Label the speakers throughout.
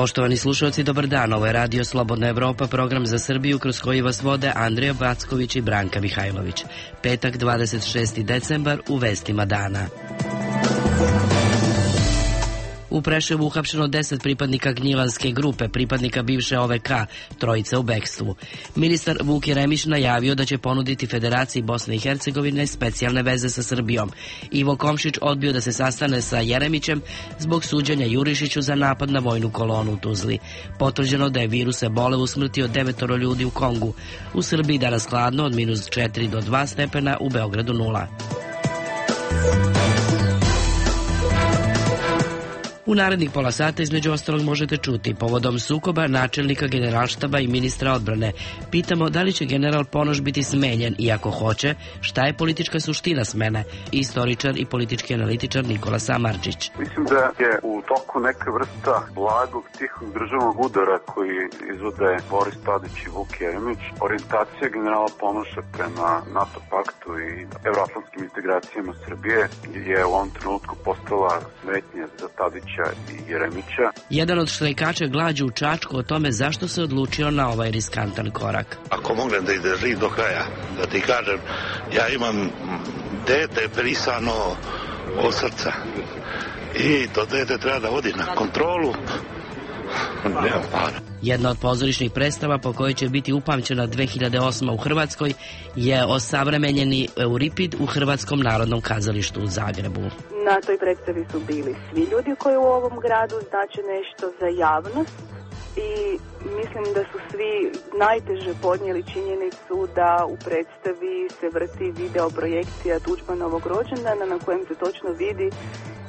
Speaker 1: Poštovani slušalci, dobar dan. Ovo je Radio Slobodna Evropa, program za Srbiju kroz koji vas vode Andrija Backović i Branka Mihajlović. Petak, 26. decembar, u vestima dana. U Preševu uhapšeno 10 pripadnika Gnjilanske grupe, pripadnika bivše OVK, trojica u bekstvu. Ministar Vuk Jeremić najavio da će ponuditi Federaciji Bosne i Hercegovine specijalne veze sa Srbijom. Ivo Komšić odbio da se sastane sa Jeremićem zbog suđenja Jurišiću za napad na vojnu kolonu u Tuzli. Potvrđeno da je virus ebole usmrtio 9 ljudi u Kongu. U Srbiji danas hladno od -4 do 2 stepena, u Beogradu 0. U narednih pola sata između ostalog možete čuti povodom sukoba načelnika generalštaba i ministra odbrane. Pitamo da li će general Ponoš biti smenjen i ako hoće, šta je politička suština smene? Istoričar i politički analitičar Nikola Samardžić.
Speaker 2: Mislim da je u toku neka vrsta blagog, tihog državnog udara koji izvode Boris Tadić i Vuk Jeremić. Orijentacija generala Ponoša prema NATO paktu i evroatlantskim integracijama Srbije je u ovom trenutku postala smetnja za Tadić i Jeremića.
Speaker 1: Jedan od štrajkača glađu u Čačku o tome zašto se odlučio na ovaj riskantan korak.
Speaker 3: Ako mognem da izdržim do kraja, da ti kažem, ja imam dete prisano od srca i to dete treba da vodi na kontrolu. Nemam para.
Speaker 1: Jedna od pozorišnih predstava po kojoj će biti upamćena 2008. u Hrvatskoj je osavremenjeni Euripid u Hrvatskom narodnom kazalištu u Zagrebu.
Speaker 4: Na toj predstavi su bili svi ljudi koji u ovom gradu znače nešto za javnost i mislim da su svi najteže podnijeli činjenicu da u predstavi se vrti video projekcija Tuđmanovog rođendana na kojem se točno vidi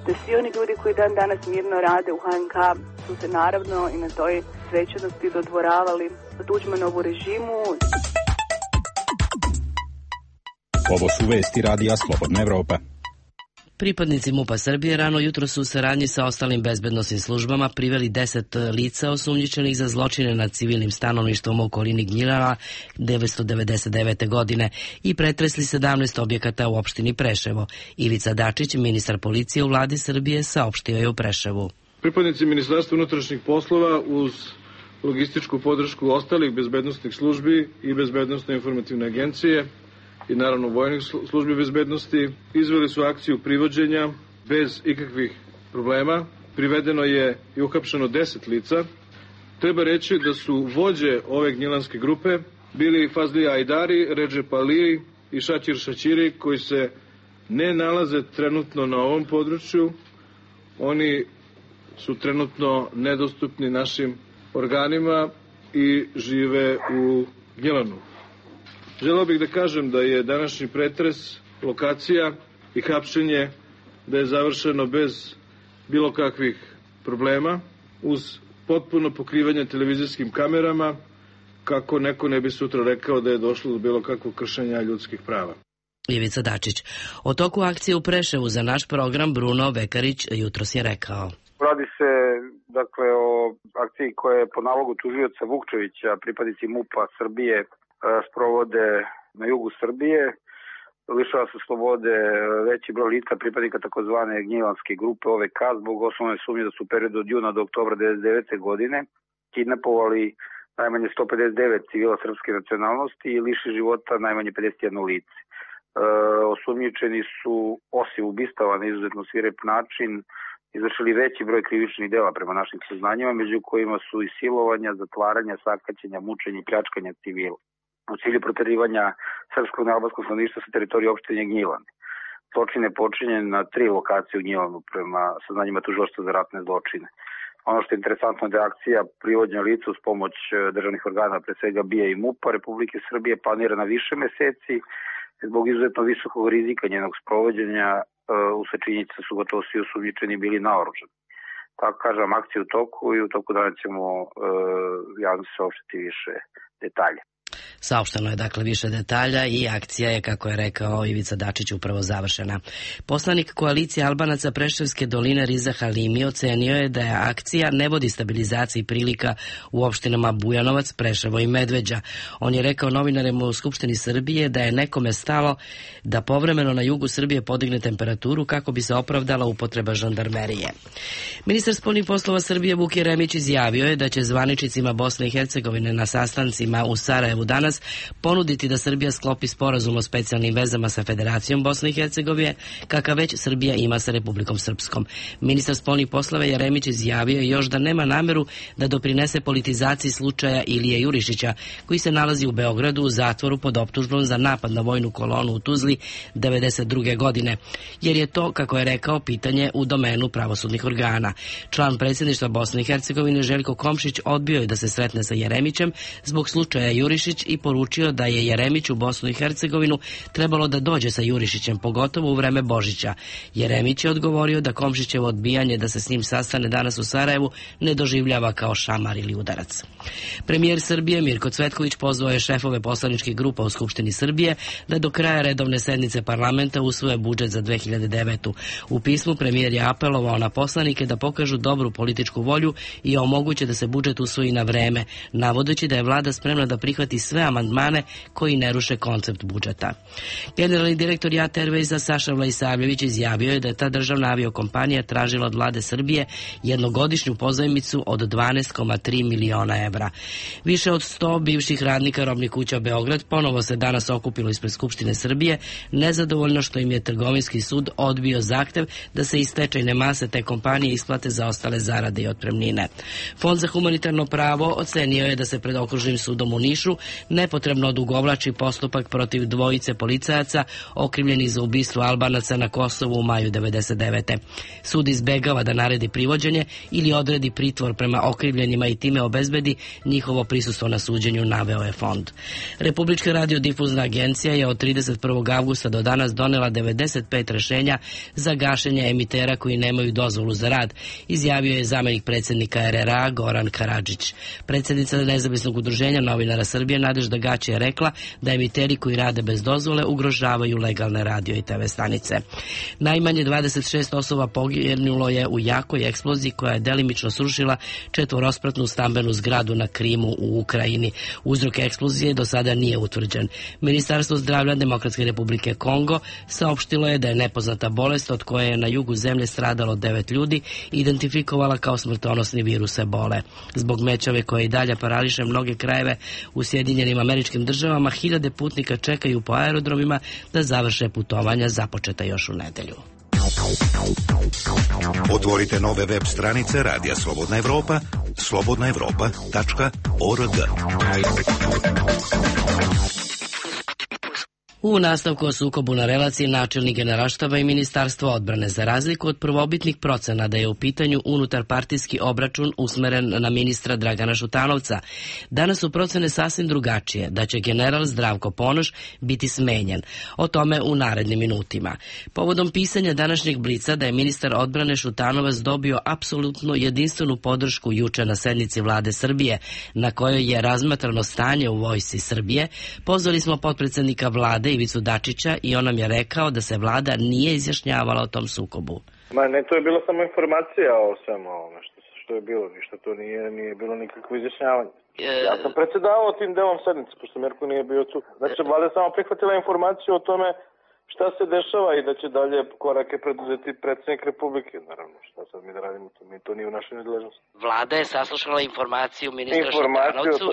Speaker 4: da svi oni ljudi koji dan danas mirno rade u HNK su se naravno i na toj svečanosti dodvoravali Tuđmanovu režimu.
Speaker 5: Ovo su vesti Radija Slobodna Evropa.
Speaker 1: Pripadnici MUP-a Srbije rano jutro su u saradnji sa ostalim bezbednosnim službama priveli 10 lica osumnjičenih za zločine nad civilnim stanovništvom u okolini Gnjilana 1999. godine i pretresli 17 objekata u opštini Preševo. Ivica Dačić, ministar policije u vladi Srbije, saopštio je u Preševu.
Speaker 6: Pripadnici Ministarstva unutrašnjih poslova uz logističku podršku ostalih bezbednosnih službi i bezbednosne informativne agencije i naravno vojnih službi bezbednosti izveli su akciju privođenja bez ikakvih problema. Privedeno je i uhapšeno 10 lica. Treba reći da su vođe ove gnjilanske grupe bili Fazli Ajdari, Redžep Ali i Šaćir Šaćiri, koji se ne nalaze trenutno na ovom području. Oni su trenutno nedostupni našim organima i žive u Gnjilanu. Želeo bih da kažem da je današnji pretres, lokacija i hapšenje da je završeno bez bilo kakvih problema, uz potpuno pokrivanje televizijskim kamerama, kako neko ne bi sutra rekao da je došlo do bilo kakvog kršenja ljudskih prava.
Speaker 1: Ivica Dačić. O toku akcije u Preševu za naš program Bruno Vekarić jutros je rekao.
Speaker 2: Radi se dakle o akciji koja je po nalogu tužioca Vukčevića, pripadnici MUP-a Srbije sprovode na jugu Srbije. Lišava se slobode veći broj lica pripadnika takozvane Gnjilanske grupe OVK zbog osnovne sumnje da su u periodu od juna do oktobra 1999. godine kidnapovali najmanje 159 civila srpske nacionalnosti i liši života najmanje 51 lice. Osumnjičeni su osim ubistava na izuzetno svirep način izvršili veći broj krivičnih dela prema našim saznanjima, među kojima su i silovanja, zatvaranja, sakaćenja, mučenja i pljačkanja civila u cilju proterivanja srpskog i albanskog stanovništva sa teritorije opštine Gnjilan. Zločin je počinjen na 3 lokacije u Gnjilanu prema saznanjima tužilaštva za ratne zločine. Ono što je interesantno je da je akcija privođenja lica uz pomoć državnih organa, pre svega BIA i MUP-a Republike Srbije, planira na više meseci zbog izuzetno visokog rizika njenog sprovođenja. Usled činjenica su gotovo svi osumnjičeni bili naoružani. Tako kažem, akcija u toku i u toku dana ćemo javno saopštiti više detalje.
Speaker 1: Saopšteno je dakle više detalja i akcija je, kako je rekao Ivica Dačić, upravo završena. Poslanik koalicije Albanaca Preševske doline Riza Halimi ocenio je da je akcija ne vodi stabilizaciji prilika u opštinama Bujanovac, Preševo i Medveđa. On je rekao novinarima u Skupštini Srbije da je nekome stalo da povremeno na jugu Srbije podigne temperaturu kako bi se opravdala upotreba žandarmerije. Ministar spoljnih poslova Srbije Vuk Jeremić izjavio je da će zvaničnicima Bosne i Hercegovine na sastancima u Sarajevu danas ponuditi da Srbija sklopi sporazum o specijalnim vezama sa Federacijom Bosne i Hercegovine, kakav već Srbija ima sa Republikom Srpskom. Ministar spoljnih poslova Jeremić izjavio je još da nema nameru da doprinese politizaciji slučaja Ilije Jurišića, koji se nalazi u Beogradu u zatvoru pod optužbom za napad na vojnu kolonu u Tuzli 1992. godine, jer je to, kako je rekao, pitanje u domenu pravosudnih organa. Član predsjedništva Bosne i Hercegovine Željko Komšić odbio je da se sretne sa Jeremićem zbog slučaja Jurišić i poručio da je Jeremić u Bosnu i Hercegovinu trebalo da dođe sa Jurišićem, pogotovo u vreme Božića. Jeremić je odgovorio da Komšićevo odbijanje da se s njim sastane danas u Sarajevu ne doživljava kao šamar ili udarac. Premijer Srbije Mirko Cvetković pozvao je šefove poslaničkih grupa u Skupštini Srbije da do kraja redovne sednice parlamenta usvoje budžet za 2009. U pismu premijer je apelovao na poslanike da pokažu dobru političku volju i omoguće da se budžet usvoji na vreme, navodeći da je vlada spremna da prihvati sve amandmane koji ne ruše koncept budžeta. Generalni direktor JAT Airwaysa Saša Vlajsavljević izjavio je da je ta državna aviokompanija tražila od vlade Srbije jednogodišnju pozajmicu od 12,3 miliona evra. Više od 100 bivših radnika robnih kuća Beograd ponovo se danas okupilo ispred Skupštine Srbije, nezadovoljno što im je Trgovinski sud odbio zahtev da se iz stečajne mase te kompanije isplate za ostale zarade i otpremnine. Fond za humanitarno pravo ocenio je da se pred Okružnim sudom u Nišu nepotrebno odugovlači postupak protiv dvojice policajaca okrivljenih za ubistvo Albanaca na Kosovu u maju 1999. Sud izbegava da naredi privođenje ili odredi pritvor prema okrivljenima i time obezbedi njihovo prisustvo na suđenju, naveo je fond. Republička radiodifuzna agencija je od 31. avgusta do danas donela 95 rešenja za gašenje emitera koji nemaju dozvolu za rad, izjavio je zamenik predsjednika RRA Goran Karadžić. Predsjednica Nezavisnog udruženja novinara Srbije Nadežda Gaće je rekla da emiteri koji rade bez dozvole ugrožavaju legalne radio i TV stanice. Najmanje 26 osoba poginulo je u jakoj eksploziji koja je delimično srušila četvorospratnu stambenu zgradu na Krimu u Ukrajini. Uzrok eksplozije do sada nije utvrđen. Ministarstvo zdravlja Demokratske republike Kongo saopštilo je da je nepoznata bolest od koje je na jugu zemlje stradalo 9 ljudi identifikovala kao smrtonosni virus ebole. Zbog mećave koje i dalje parališe mnoge krajeve u Sjedinjenim Američkim Državama, hiljade putnika čekaju po aerodromima da završe putovanja započeta još u nedelju.
Speaker 7: Otvorite nove web stranice Radija Slobodna Evropa, slobodnaevropa.org.
Speaker 1: U nastavku o sukobu na relaciji načelnik Generalštaba i Ministarstvo odbrane, za razliku od prvobitnih procena da je u pitanju unutarpartijski obračun usmeren na ministra Dragana Šutanovca, danas su procene sasvim drugačije, da će general Zdravko Ponoš biti smenjen. O tome u narednim minutima. Povodom pisanja današnjeg Blica da je ministar odbrane Šutanovac dobio apsolutno jedinstvenu podršku juče na sednici vlade Srbije, na kojoj je razmatrano stanje u vojsci Srbije, pozvali smo potpredsednika vlade Ivicu Dačića i on nam je rekao da se vlada nije izjašnjavala o tom sukobu.
Speaker 8: Ne, to je bila samo informacija o svemu ovome što je bilo, ništa to nije bilo nikakvo izjašnjavanje. Ja sam predsjedavao tim delom sednice, pošto Mirko nije bio tu. Znači, vlada je samo prihvatila informaciju o tome šta se dešava i da će dalje korake preduzeti predsjednik Republike. Naravno, šta sad mi da radimo, to nije u našoj nadležnosti.
Speaker 1: Vlada je saslušala informaciju ministra Šutanovcu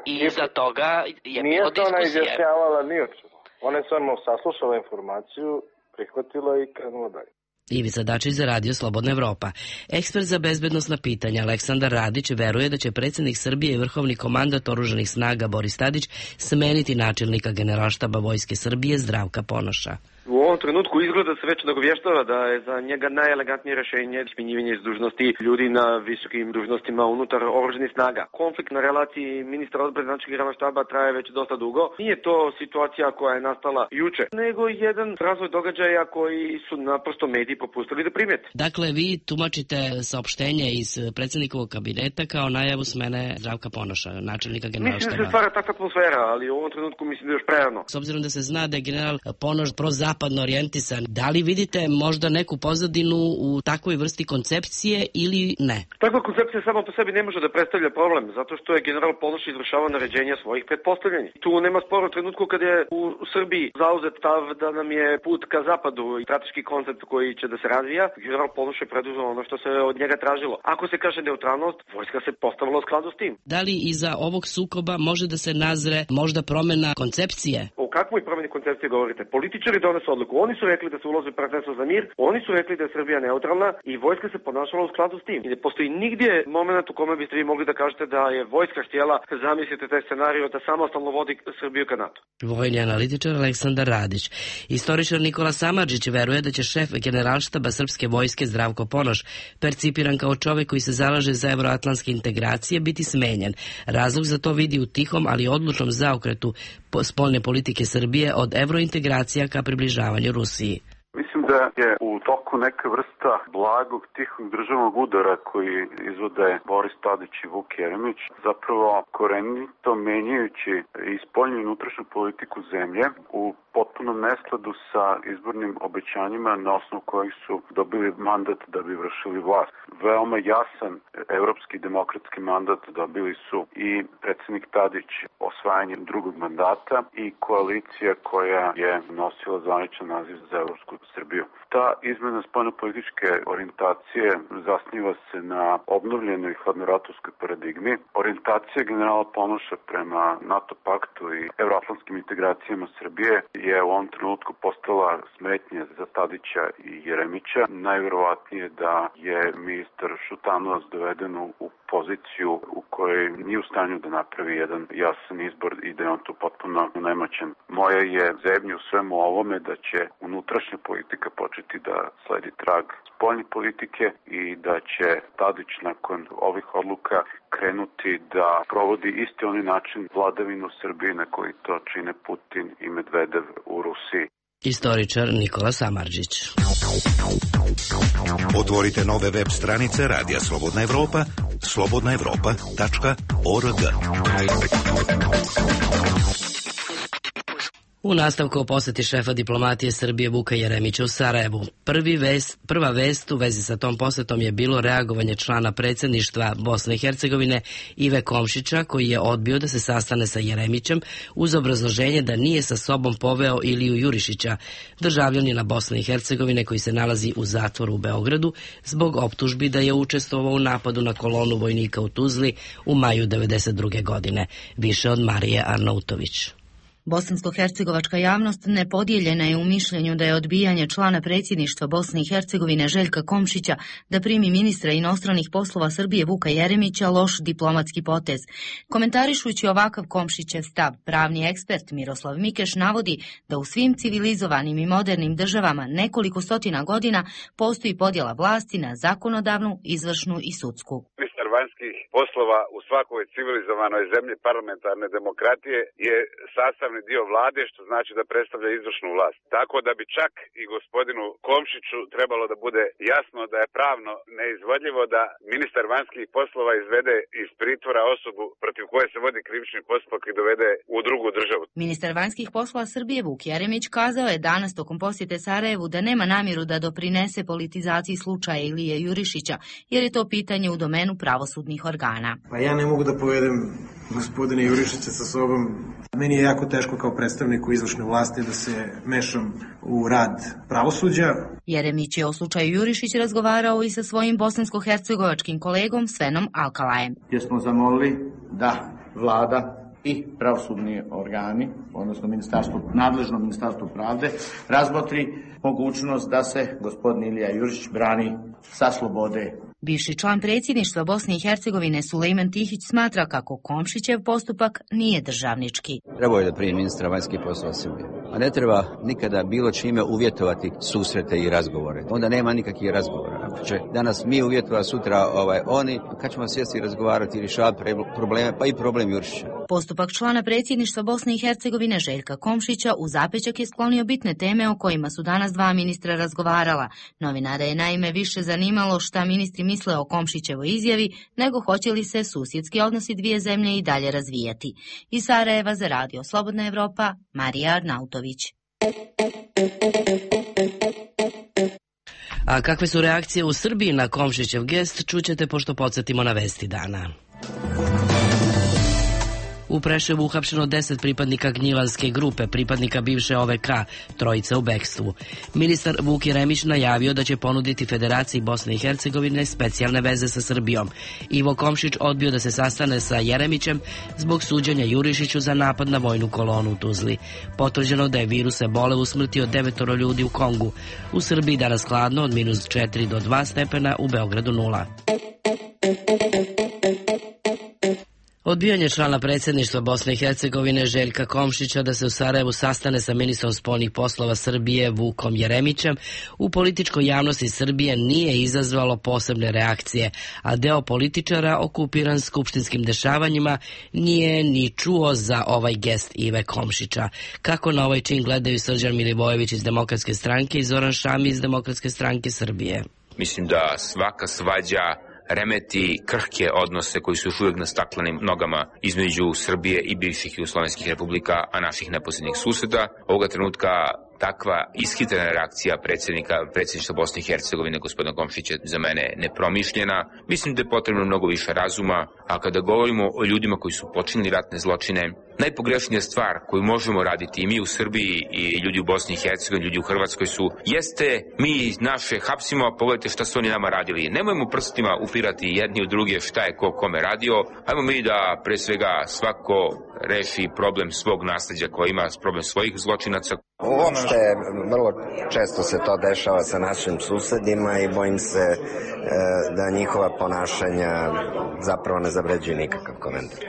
Speaker 1: i iza toga je bilo diskusije.
Speaker 8: Nije se ona izjašnjavala ni o čemu. Ona je samo saslušala informaciju, prihvatila i krenula dalje.
Speaker 1: Ivica Dačić za Radio Slobodna Evropa. Ekspert za bezbednosna pitanja Aleksandar Radić veruje da će predsjednik Srbije i vrhovni komandant oružanih snaga Boris Tadić smeniti načelnika Generalštaba Vojske Srbije Zdravka Ponoša.
Speaker 9: U ovom trenutku izgleda se već nagovještava da je za njega najelegantnije rešenje smenjivanje iz dužnosti ljudi na visokim dužnostima unutar oružanih snaga. Konflikt na relaciji ministra odbrane načelnika Generalnog štaba traje već dosta dugo. Nije to situacija koja je nastala juče, nego jedan razvoj događaja koji su naprosto mediji propustili da primete.
Speaker 1: Dakle, vi tumačite saopštenje iz predsjednikovog kabineta kao najavu smene Zdravka Ponoša, načelnika Generalnog štaba.
Speaker 9: Mislim da se stvara takva atmosfera, ali u ovom trenutku mislim da je još prerano.
Speaker 1: S obzirom da se zna da je general Ponoš prozapadno orijentisan, da li vidite možda neku pozadinu u takvoj vrsti koncepcije ili ne?
Speaker 9: Takva koncepcija sama po sebi ne može da predstavlja problem, zato što je general Ponoš izvršavao naređenja svojih pretpostavljanja. Tu nema spora u trenutku kad je u Srbiji zauzet stav da nam je put ka zapadu i strateški koncept koji će da se razvija. General Ponoš je preduzeo ono što se od njega tražilo. Ako se kaže neutralnost, vojska se postavila u skladu s tim.
Speaker 1: Da li iza ovog sukoba može da se nazre možda promena koncepcije?
Speaker 9: O kakvoj promeni koncepcije govorite? Političari donesu odluku. Oni su rekli da se ulazi u partnerstvo za mir, oni su rekli da je Srbija neutralna i vojska se ponašala u skladu s tim. I ne postoji nigdje moment u kome biste vi mogli da kažete da je vojska htjela, zamislite taj scenarij, da samostalno vodi Srbiju ka NATO.
Speaker 1: Vojni analitičar Aleksandar Radić. Istoričar Nikola Samardžić veruje da će šef Generalštaba srpske vojske Zdravko Ponoš, percipiran kao čovek koji se zalaže za evroatlantske integracije, biti smenjen. Razlog za to vidi u tihom, ali odlučnom zaokretu spoljne politike Srbije od evrointegracija ka približavanju Rusiji.
Speaker 10: Mislim da je u toku neka vrsta blagog, tihog državnog udara koji izvode Boris Tadić i Vuk Jeremić, zapravo korenito menjajući i spoljnu i unutrašnju politiku zemlje u potpunom neskladu sa izbornim obećanjima na osnovu kojih su dobili mandat da bi vršili vlast. Veoma jasan evropski demokratski mandat dobili su i predsjednik Tadić osvajanjem drugog mandata i koalicija koja je nosila zvaničan naziv za Evropsku Srbiju. Ta izmena spoljnopolitičke orijentacije zasniva se na obnovljenoj hladnoratovskoj paradigmi. Orijentacija generala Ponoša prema NATO paktu i evroatlantskim integracijama Srbije je u ovom trenutku postala smetnja za Tadića i Jeremića. Najverovatnije da je ministar Šutanovac doveden u poziciju u kojoj nije u stanju da napravi jedan jasan izbor i da je on tu potpuno nemoćan. Moja je zebnja u svemu ovome da će unutrašnja politika početi da sledi trag spoljne politike i da će Tadić nakon ovih odluka krenuti da provodi isti onaj način vladavinu Srbije na koji to čine Putin i Medvedev u Rusiji.
Speaker 1: Istoričar Nikola Samardžić.
Speaker 7: Otvorite nove web stranice Radija Slobodna Evropa, slobodnaevropa.org.
Speaker 1: U nastavku o poseti šefa diplomatije Srbije Vuka Jeremića u Sarajevu. Prva vest u vezi sa tom posetom je bilo reagovanje člana predsjedništva Bosne i Hercegovine Ive Komšića, koji je odbio da se sastane sa Jeremićem uz obrazloženje da nije sa sobom poveo Iliju Jurišića, državljanina Bosne i Hercegovine koji se nalazi u zatvoru u Beogradu zbog optužbi da je učestvovao u napadu na kolonu vojnika u Tuzli u maju 1992. godine. Više od Marije Arnautović.
Speaker 11: Bosansko-hercegovačka javnost nepodijeljena je u mišljenju da je odbijanje člana predsjedništva Bosne i Hercegovine Željka Komšića da primi ministra inostranih poslova Srbije Vuka Jeremića loš diplomatski potez. Komentarišući ovakav Komšićev stav, pravni ekspert Miroslav Mikeš navodi da u svim civilizovanim i modernim državama nekoliko stotina godina postoji podjela vlasti na zakonodavnu, izvršnu i sudsku.
Speaker 12: Vanjskih poslova u svakoj civilizovanoj zemlji parlamentarne demokratije je sastavni dio vlade, što znači da predstavlja izvršnu vlast. Tako da bi čak i gospodinu Komšiću trebalo da bude jasno da je pravno neizvodljivo da ministar vanjskih poslova izvede iz pritvora osobu protiv koje se vodi krivični postupak i dovede u drugu državu.
Speaker 11: Ministar vanjskih poslova Srbije Vuk Jeremić kazao je danas tokom posjete Sarajevu da nema namjeru da doprinese politizaciji slučaja Ilije Jurišića, jer je to pitanje u domenu pravosudnih organa.
Speaker 13: Pa ja ne mogu da povedem gospodine Jurišića sa sobom. Meni je jako teško kao predstavniku izvršne vlasti da se mešam u rad pravosuđa.
Speaker 11: Jeremić je o slučaju Jurišić razgovarao i sa svojim bosansko-hercegovačkim kolegom Svenom Alkalajem.
Speaker 14: Gdje smo zamolili da vlada i pravosudni organi, odnosno nadležno ministarstvo pravde, razmotri mogućnost da se gospodin Ilija Jurišić brani sa slobode
Speaker 11: Bivši član predsjedništva Bosne i Hercegovine Sulejman Tihić smatra kako Komšićev postupak nije državnički.
Speaker 15: Trebao je da primi ministra vanjskih poslova Srbije, a ne treba nikada bilo čime uvjetovati susrete i razgovore. Onda nema nikakvih razgovora. Ako će danas mi uvjetovati, sutra oni, kad ćemo sjesti i razgovarati i rješavati probleme, pa i problem Jurišića.
Speaker 11: Postupak člana predsjedništva Bosne i Hercegovine Željka Komšića u zapećak je sklonio bitne teme o kojima su danas dva ministra razgovarala. Novinare je naime više zanimalo šta ministri misle o Komšićevoj izjavi, nego hoće li se susjedski odnosi dvije zemlje i dalje razvijati. Iz Sarajeva za Radio Slobodna Evropa, Marija Arnautović.
Speaker 1: A kakve su reakcije u Srbiji na Komšićev gest, čućete pošto podsjetimo na vesti dana. U Preševu uhapšeno 10 pripadnika Gnjilanske grupe, pripadnika bivše OVK, trojica u bekstvu. Ministar Vuk Jeremić najavio da će ponuditi Federaciji Bosne i Hercegovine specijalne veze sa Srbijom. Ivo Komšić odbio da se sastane sa Jeremićem zbog suđenja Jurišiću za napad na vojnu kolonu u Tuzli. Potvrđeno da je virus ebole usmrtio 9 ljudi u Kongu. U Srbiji danas hladno od -4 do 2 stepena, u Beogradu 0. Odbijanje člana predsjedništva Bosne i Hercegovine Željka Komšića da se u Sarajevu sastane sa ministrom spoljnih poslova Srbije Vukom Jeremićem u političkoj javnosti Srbije nije izazvalo posebne reakcije, a deo političara okupiran skupštinskim dešavanjima nije ni čuo za ovaj gest Ive Komšića. Kako na ovaj čin gledaju Srđan Milivojević iz Demokratske stranke i Zoran Šami iz Demokratske stranke Srbije?
Speaker 16: Mislim da svaka svađa remeti krhke odnose koji su još uvijek na staklenim nogama između Srbije i bivših jugoslovenskih republika, a naših neposrednih susjeda. Ovoga trenutka takva ishitrena reakcija predsjedništva Bosne i Hercegovine gospodina Komšića za mene nepromišljena. Mislim da je potrebno mnogo više razuma, a kada govorimo o ljudima koji su počinili ratne zločine, najpogrešnija stvar koju možemo raditi i mi u Srbiji i ljudi u Bosni i Hercegovini, ljudi u Hrvatskoj jeste mi naše hapsimo, a pogledajte šta su oni nama radili. Nemojmo prstima upirati jedni u druge šta je ko kome radio, ajmo mi da pre svega svako reši problem svog nasleđa koji ima, problem svojih zločinaca.
Speaker 17: Uopšte, vrlo često se to dešava sa našim susedima i bojim se da njihova ponašanja zapravo ne zavređuju nikakav komentar.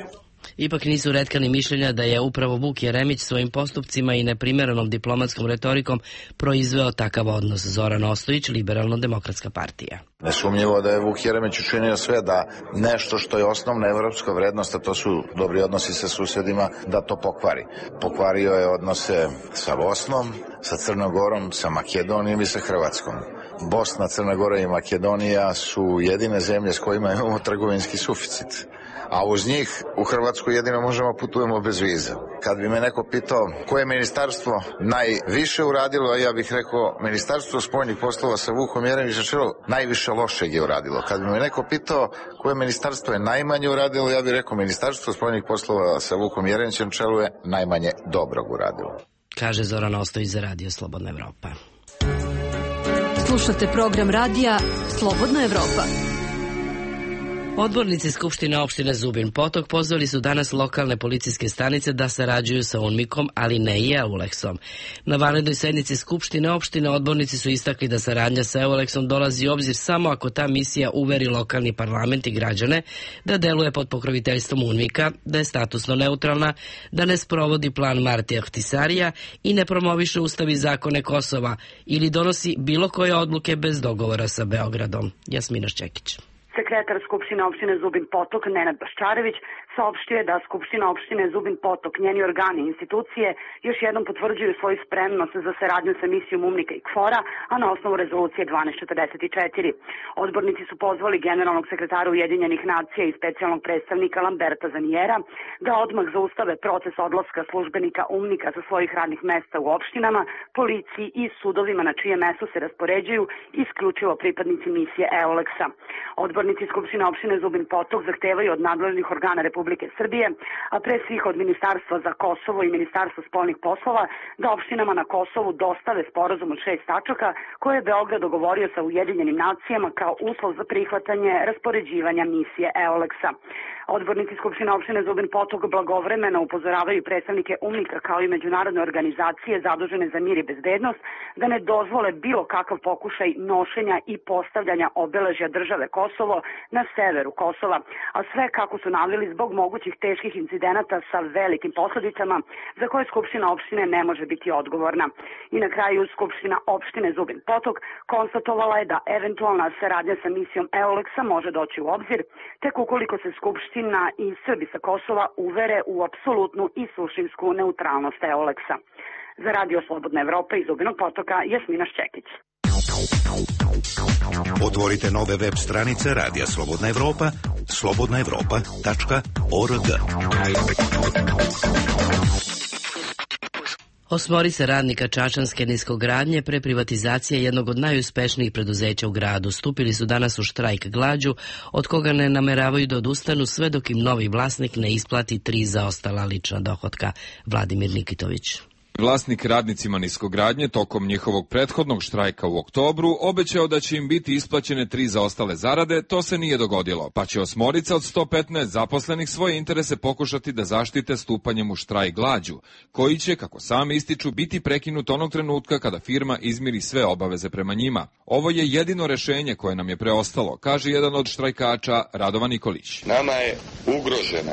Speaker 1: Ipak nisu retka ni mišljenja da je upravo Vuk Jeremić svojim postupcima i neprimjerenom diplomatskom retorikom proizveo takav odnos. Zoran Ostojić, Liberalno-demokratska partija.
Speaker 18: Nesumnjivo da je Vuk Jeremić učinio sve da nešto što je osnovna evropska vrednost, a to su dobri odnosi sa susjedima, da to pokvari. Pokvario je odnose sa Bosnom, sa Crnom Gorom, sa Makedonijom i sa Hrvatskom. Bosna, Crna Gora i Makedonija su jedine zemlje s kojima imamo trgovinski suficit. A uz njih u Hrvatsku jedino možemo putujemo bez viza. Kad bi me neko pitao koje ministarstvo najviše uradilo, ja bih rekao Ministarstvo spoljnih poslova sa Vukom Jeremićem čelu najviše lošeg je uradilo. Kad bi me neko pitao koje ministarstvo je najmanje uradilo, ja bih rekao Ministarstvo spoljnih poslova sa Vukom Jeremićem čelu je najmanje dobrog uradilo.
Speaker 1: Kaže Zoran Ostojić za Radio Slobodna Evropa.
Speaker 19: Slušate program radija Slobodna Evropa.
Speaker 1: Odbornici Skupštine opštine Zubin Potok pozvali su danas lokalne policijske stanice da sarađuju sa UNMIK-om, ali ne i EULEX-om. Na vanrednoj sednici Skupštine opštine odbornici su istakli da saradnja sa EULEX-om dolazi u obzir samo ako ta misija uveri lokalni parlament i građane da deluje pod pokroviteljstvom UNMIK-a, da je statusno neutralna, da ne sprovodi plan Martija Ahtisarija i ne promoviše ustav i zakone Kosova ili donosi bilo koje odluke bez dogovora sa Beogradom. Jasmina Šćekić.
Speaker 20: Sekretar Skupštine opštine Zubin Potok, Nenad Baščarević, saopštio je da Skupština opštine Zubin Potok, njeni organi i institucije još jednom potvrđuju svoju spremnost za saradnju sa misijom UNMIK-a i KFOR-a, a na osnovu rezolucije 1244. Odbornici su pozvali generalnog sekretara Ujedinjenih nacija i specijalnog predstavnika Lamberta Zanijera da odmah zaustave proces odlaska službenika UNMIK-a sa svojih radnih mesta u opštinama, policiji i sudovima na čije mesto se raspoređuju isključivo pripadnici misije EULEX-a. Odbornici Skupštine opštine Zubin Potok zahtevaju od nadležnih organa Republike Srbije, a pre svih od Ministarstva za Kosovo i Ministarstva spoljnih poslova, da opštinama na Kosovu dostave sporazum od 6 tačaka koje je Beograd dogovorio sa Ujedinjenim nacijama kao uslov za prihvatanje raspoređivanja misije EULEX-a. Odbornici Skupštine opštine Zubin Potok blagovremeno upozoravaju predstavnike UNMIK-a kao i međunarodne organizacije zadužene za mir i bezbednost da ne dozvole bilo kakav pokušaj nošenja i postavljanja obeležja države Kosovo na severu Kosova, a sve kako su naveli zbog mogućih teških incidenata sa velikim posledicama za koje Skupština opštine ne može biti odgovorna. I na kraju Skupština opštine Zubin Potok konstatovala je da eventualna saradnja sa misijom EOLEX-a može doći u obzir, tek ukoliko se Skupština i Srbi sa Kosova uvere u apsolutnu i suštinsku neutralnost EOLEX-a. Za Radio Slobodna Evropa iz Zubinog Potoka, Jasmina Šćekić.
Speaker 7: Otvorite nove web stranice Radija Slobodna Evropa, slobodnaevropa.org.
Speaker 1: Osmorica radnika čačanske niskogradnje pre privatizacije jednog od najuspešnijih preduzeća u gradu stupili su danas u štrajk glađu, od koga ne nameravaju da odustanu sve dok im novi vlasnik ne isplati 3 zaostala lična dohotka. Vladimir Nikitović.
Speaker 21: Vlasnik radnicima niskogradnje tokom njihovog prethodnog štrajka u oktobru obećao da će im biti isplaćene 3 zaostale zarade, to se nije dogodilo, pa će osmorica od 115 zaposlenih svoje interese pokušati da zaštite stupanjem u štrajk glađu, koji će, kako sami ističu, biti prekinut onog trenutka kada firma izmiri sve obaveze prema njima. Ovo je jedino rešenje koje nam je preostalo, kaže jedan od štrajkača Radovan Nikolić.
Speaker 22: Nama je ugrožena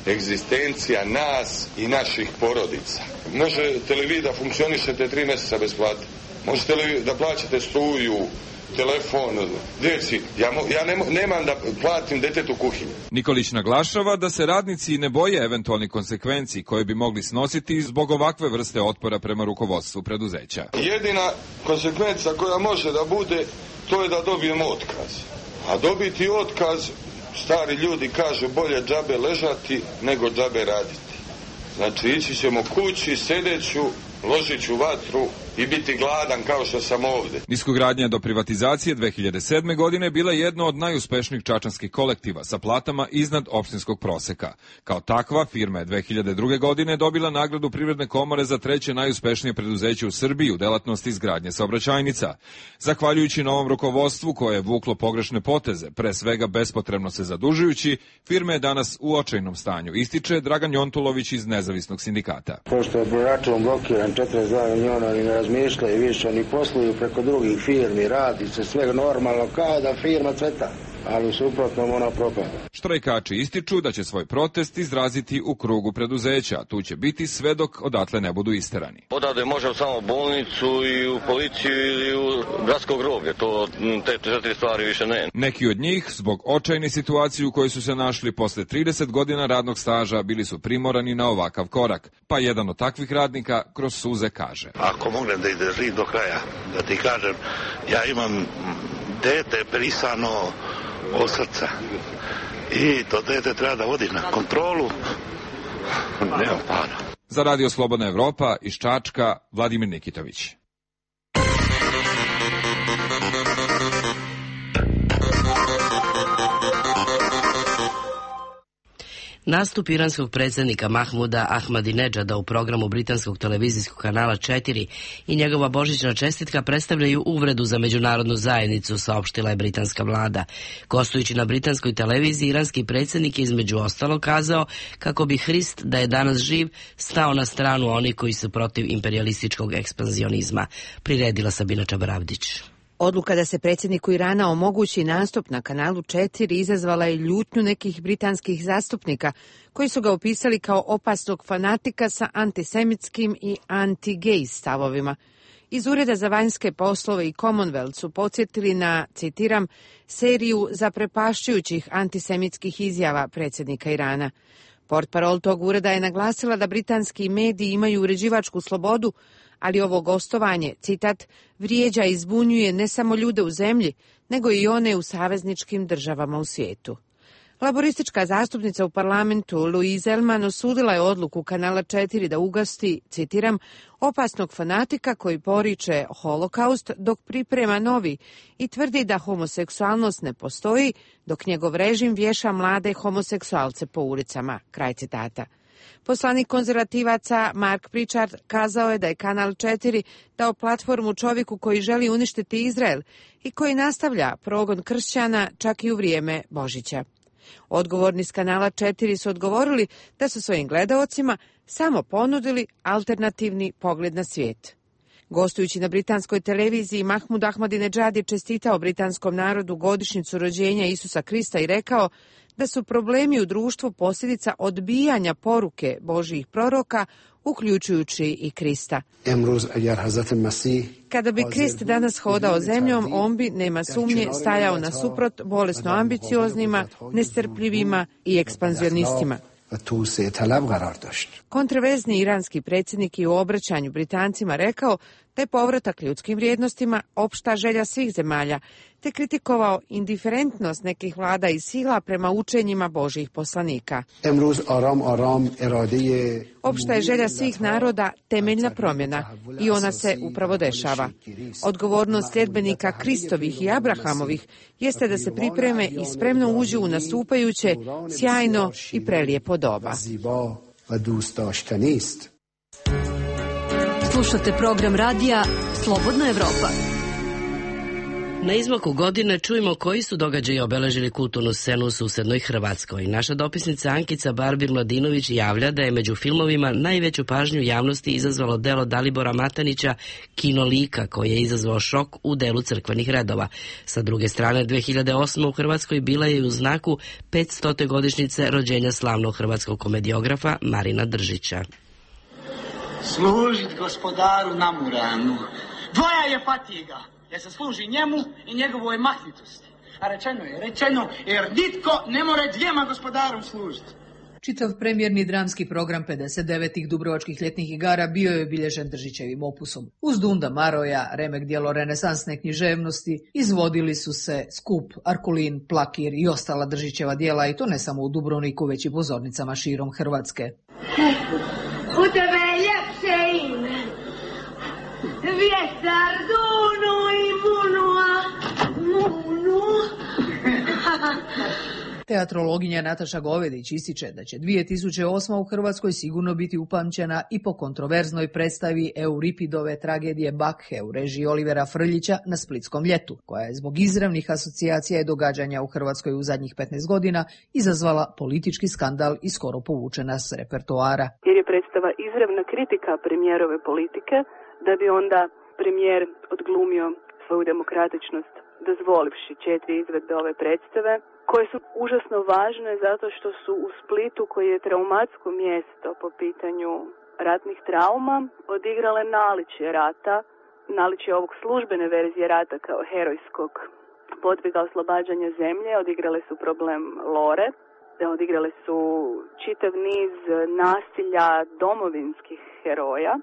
Speaker 22: egzistencija nas i naših porodica. Možete li vi da funkcionišete 3 meseca bez plate? Možete li da plaćate struju, telefon, djeci? Ja nemam da platim detetu kuhinju.
Speaker 21: Nikolić naglašava da se radnici ne boje eventualnih konsekvenci koje bi mogli snositi zbog ovakve vrste otpora prema rukovodstvu preduzeća.
Speaker 22: Jedina konsekvenca koja može da bude, to je da dobijemo otkaz. A dobiti otkaz, stari ljudi kažu, bolje džabe ležati nego džabe raditi. Znači, ići ćemo kući, sedeću, ložit ću vatru i biti gladan kao što sam ovde.
Speaker 21: Niskogradnja do privatizacije 2007. godine bila jedno od najuspešnijih čačanskih kolektiva sa platama iznad opštinskog proseka. Kao takva, firma je 2002. godine dobila nagradu Privredne komore za 3. najuspešnije preduzeće u Srbiji u delatnosti izgradnje saobraćajnica. Zahvaljujući novom rukovodstvu koje je vuklo pogrešne poteze, pre svega bespotrebno se zadužujući, firma je danas u očajnom stanju, ističe Dragan Jontulović iz Nezavisnog sindikata.
Speaker 23: Pošto je račun blokiran 42 miliona, oni ne razmišljaju više, oni posluju preko drugih firmi, radi se sve normalno kao da firma cveta, ali suprotno ona propada.
Speaker 21: Štrajkači ističu da će svoj protest izraziti u krugu preduzeća, tu će biti sve dok odatle ne budu isterani.
Speaker 24: Odavde može samo bolnicu i u policiju ili u gradsko groblje, te 4 stvari više ne.
Speaker 21: Neki od njih, zbog očajne situacije u kojoj su se našli posle 30 godina radnog staža, bili su primorani na ovakav korak, pa jedan od takvih radnika kroz suze kaže.
Speaker 3: Ako mognem da izdržim do kraja, da ti kažem, ja imam dete prisano od srca i to dete treba da vodi na kontrolu, nema para.
Speaker 21: Za Radio Slobodna Evropa iz Čačka, Vladimir Nikitović.
Speaker 1: Nastup iranskog predsjednika Mahmuda Ahmadinedžada u programu britanskog televizijskog kanala 4 i njegova božićna čestitka predstavljaju uvredu za međunarodnu zajednicu, saopštila je britanska vlada. Gostujući na britanskoj televiziji, iranski predsjednik je između ostalo kazao kako bi Hrist, da je danas živ, stao na stranu onih koji su protiv imperijalističkog ekspanzionizma. Priredila Sabina Čabaravdić.
Speaker 25: Odluka da se predsjedniku Irana omogući nastup na kanalu 4 izazvala je ljutnju nekih britanskih zastupnika koji su ga opisali kao opasnog fanatika sa antisemitskim i anti-gej stavovima. Iz Ureda za vanjske poslove i Commonwealth su podsjetili na, citiram, seriju zaprepašćujućih antisemitskih izjava predsjednika Irana. Portparol tog ureda je naglasila da britanski mediji imaju uređivačku slobodu, ali ovo gostovanje, citat, vrijeđa i zbunjuje ne samo ljude u zemlji, nego i one u savezničkim državama u svijetu. Laboristička zastupnica u parlamentu Louise Elman osudila je odluku kanala 4 da ugasti, citiram, opasnog fanatika koji poriče holokaust dok priprema novi i tvrdi da homoseksualnost ne postoji dok njegov režim vješa mlade homoseksualce po ulicama, kraj citata. Poslanik konzervativaca Mark Pritchard kazao je da je kanal 4 dao platformu čovjeku koji želi uništiti Izrael i koji nastavlja progon kršćana čak i u vrijeme Božića. Odgovorni s kanala 4 su odgovorili da su svojim gledaocima samo ponudili alternativni pogled na svijet. Gostujući na britanskoj televiziji, Mahmud Ahmadinedžad je čestitao britanskom narodu godišnjicu rođenja Isusa Krista i rekao da su problemi u društvu posljedica odbijanja poruke Božjih proroka, uključujući i Krista. Kada bi Krist danas hodao zemljom, on bi, nema sumnje, stajao nasuprot bolesno ambicioznima, nestrpljivima i ekspanzionistima. Kontroverzni iranski predsjednik je u obraćanju Britancima rekao da je povratak ljudskim vrijednostima opšta želja svih zemalja, te kritikovao indiferentnost nekih vlada i sila prema učenjima Božjih poslanika. Opšta je želja svih naroda temeljna promjena i ona se upravo dešava. Odgovornost sljedbenika Kristovih i Abrahamovih jeste da se pripreme i spremno uđu u nastupajuće, sjajno i prelijepo doba.
Speaker 19: Slušate program radija Slobodna Evropa.
Speaker 1: Na izmaku godine čujemo koji su događaji obeležili kulturnu scenu u susednoj Hrvatskoj. Naša dopisnica Ankica Barbir-Mladinović javlja da je među filmovima najveću pažnju javnosti izazvalo delo Dalibora Matanića Kino Lika, koji je izazvao šok u delu crkvenih redova. Sa druge strane, 2008. u Hrvatskoj bila je u znaku 500. godišnjice rođenja slavnog hrvatskog komediografa Marina Držića.
Speaker 2: Služit gospodaru Namuranu. Dvoja je fatiga, jer se služi njemu i njegovoj mahnitosti. A rečeno, jer nitko ne more dvijema gospodarom služiti.
Speaker 4: Čitav premijerni dramski program 59. Dubrovačkih ljetnih igara bio je obilježen Držićevim opusom. Uz Dunda Maroja, remek dijelo renesansne književnosti, izvodili su se Skup, Arkulin, Plakir i ostala Držićeva dijela, i to ne samo u Dubrovniku, već i pozornicama širom Hrvatske.
Speaker 5: U tebe je ljepše ime. Vjetar dunu i munua. Munu.
Speaker 4: Teatrologinja Nataša Govedić ističe da će 2008. u Hrvatskoj sigurno biti upamćena i po kontroverznoj predstavi Euripidove tragedije Bakhe u režiji Olivera Frljića na Splitskom ljetu, koja je zbog izravnih asocijacija i događanja u Hrvatskoj u zadnjih 15 godina izazvala politički skandal i skoro povučena s repertoara.
Speaker 6: Jer je predstava izravna kritika premijerove politike, da bi onda premijer odglumio svoju demokratičnost, dozvolivši 4 izvedbe ove predstave, koje su užasno važne zato što su u Splitu, koji je traumatsko mjesto po pitanju ratnih trauma, odigrale naličje rata, naličje ovog službene verzije rata kao herojskog podviga oslobađanja zemlje, odigrale su problem Lore, odigrale su čitav niz nasilja domovinskih heroja.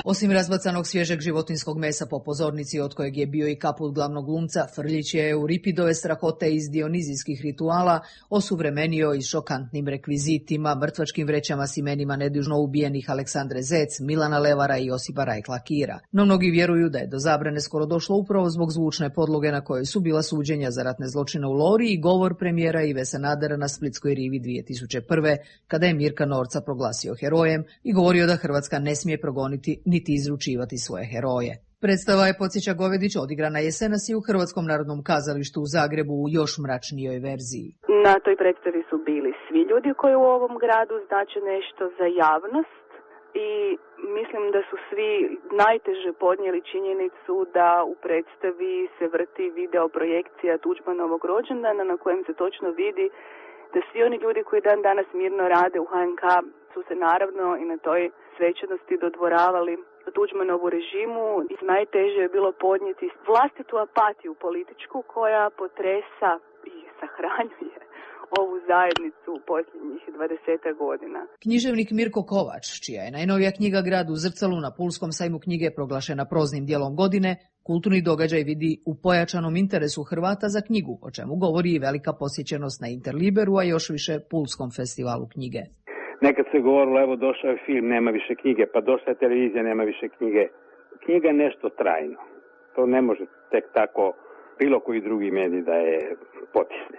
Speaker 4: Osim razbacanog svježeg životinskog mesa po pozornici, od kojeg je bio i kaput glavnog glumca, Frljić je Euripidove strahote iz dionizijskih rituala osuvremenio i šokantnim rekvizitima, mrtvačkim vrećama s imenima nedužno ubijenih Aleksandre Zec, Milana Levara i Josipa Rajkla Kira. No mnogi vjeruju da je do zabrane skoro došlo upravo zbog zvučne podloge na kojoj su bila suđenja za ratne zločine u Lori i govor premijera Ive Sanadera na Splitskoj rivi 2001. kada je Mirka Norca proglasio herojem i govorio da Hrvatska ne smije progoniti niti izručivati svoje heroje. Predstava je, podsjeća Govedić, odigrana jesenas i u Hrvatskom narodnom kazalištu u Zagrebu u još mračnijoj verziji.
Speaker 6: Na toj predstavi su bili svi ljudi koji u ovom gradu znače nešto za javnost i mislim da su svi najteže podnijeli činjenicu da u predstavi se vrti video projekcija Tuđmanovog rođendana na kojem se točno vidi da svi oni ljudi koji dan danas mirno rade u HNK su se naravno i na toj svečanosti dodvoravali Tuđmanovu režimu i najteže je bilo podnijeti vlastitu apatiju političku koja potresa i sahranjuje ovu zajednicu u posljednjih 20 godina.
Speaker 4: Književnik Mirko Kovač, čija je najnovija knjiga Grad u zrcalu na Pulskom sajmu knjige proglašena proznim dijelom godine, kulturni događaj vidi u pojačanom interesu Hrvata za knjigu, o čemu govori i velika posjećenost na Interliberu, a još više Pulskom festivalu knjige.
Speaker 8: Nekad se govorilo, evo došao je film, nema više knjige, pa došla je televizija, nema više knjige. Knjiga je nešto trajno. To ne može tek tako bilo koji drugi medij da je potisne.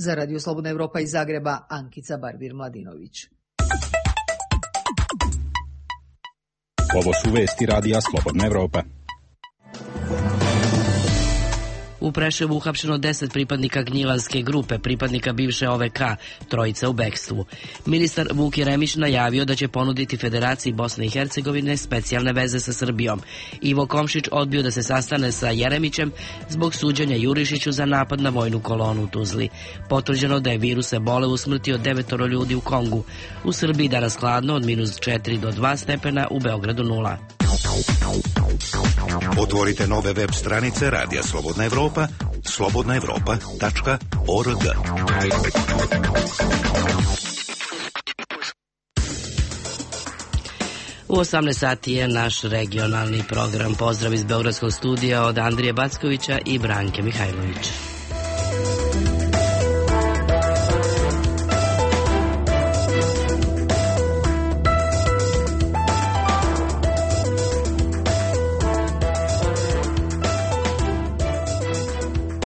Speaker 4: Za Radio Slobodna Evropa iz Zagreba, Ankica Barbir-Mladinović.
Speaker 26: Ovo su vesti Radija Slobodna Evropa.
Speaker 1: U Preševu uhapšeno 10 pripadnika Gnjilanske grupe, pripadnika bivše OVK, trojica u bekstvu. Ministar Vuk Jeremić najavio da će ponuditi Federaciji Bosne i Hercegovine specijalne veze sa Srbijom. Ivo Komšić odbio da se sastane sa Jeremićem zbog suđenja Jurišiću za napad na vojnu kolonu u Tuzli. Potvrđeno da je virus ebole usmrtio 9 ljudi u Kongu. U Srbiji danas hladno od -4 do 2 stepena, u Beogradu 0.
Speaker 7: Otvorite nove web stranice Radija Slobodna Evropa, slobodnaevropa.org.
Speaker 1: U 18 sati je naš regionalni program. Pozdrav iz Beogradskog studija od Andrije Backovića i Branke Mihajlović.